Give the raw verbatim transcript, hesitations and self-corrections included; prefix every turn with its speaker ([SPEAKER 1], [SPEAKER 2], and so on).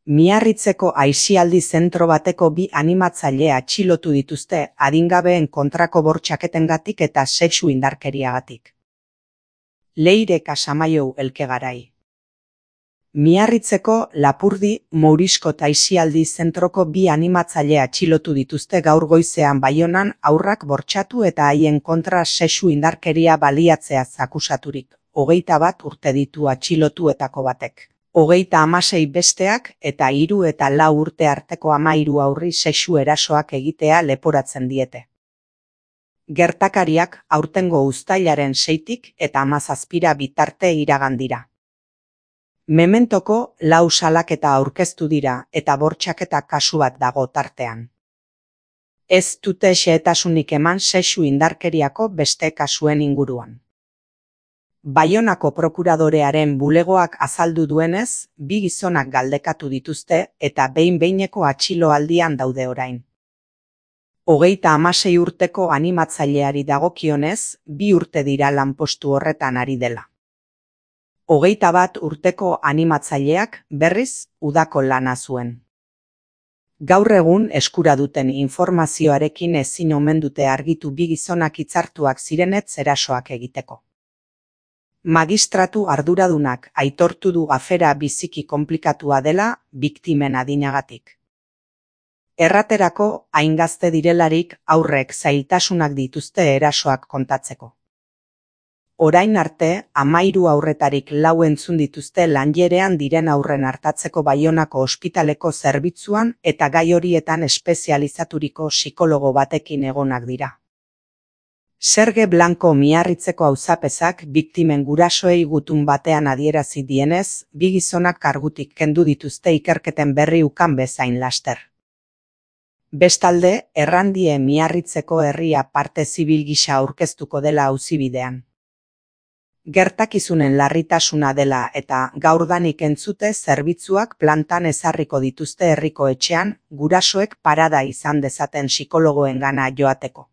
[SPEAKER 1] Miarritzeko aisialdi zentro bateko bi animatzaile atxilotu dituzte adingabeen kontrako bortxaketengatik eta sexu indarkeriagatik. Leire Casamaiou Elkegarai. Miarritzeko Lapurdi Mouriskot aisialdi zentroko bi animatzaile atxilotu dituzte gaur goizean Baionan haurrak bortxatu eta haien kontra sexu indarkeria baliatzeaz akusaturik. Hogeita bat urte ditu atxilotuetako batek. Hogeita hamasei besteak eta hiru eta lau urte arteko hamahiru haurri sexu erasoak egitea leporatzen diete. Gertakariak aurtengo uztailaren seitik eta hamazazpira bitarte iragan dira. Mementoko lau salaketa aurkeztu dira eta bortxaketa kasu bat dago tartean. Ez dute xehetasunik eman sexu indarkeriako beste kasuen inguruan. Baionako prokuradorearen bulegoak azaldu duenez, bi gizonak galdekatu dituzte eta behin-behineko atxiloaldian daude orain. Hogeita hamasei urteko animatzaileari dagokionez, bi urte dira lanpostu horretan ari dela. Hogeita bat urteko animatzaileak berriz udako lana zuen. Gaur egun eskura duten informazioarekin ezin omen dute argitu bi gizonak hitzartuak zirenetz erasoak egiteko. Magistratu arduradunak aitortu du afera biziki konplikatua dela biktimen adinagatik. Erraterako, hain gazte direlarik aurrek zailtasunak dituzte erasoak kontatzeko. Orain arte, hamahiru haurretarik lau entzun dituzte lanjerean diren haurren artatzeko Baionako ospitaleko zerbitzuan eta gai horietan espezializaturiko psikologo batekin egonak dira. Serge Blanco Miarritzeko auzapezak biktimen gurasoei gutun batean adierazi dienez, bi gizonak kargutik kendu dituzte ikerketen berri ukan bezain laster. Bestalde, errandie Miarritzeko herria parte zibil gisa aurkeztuko dela auzibidean. Gertakizunen larritasuna dela eta gaurdanik entzute zerbitzuak plantan ezarriko dituzte herriko etxean, gurasoek parada izan dezaten psikologoengana joateko.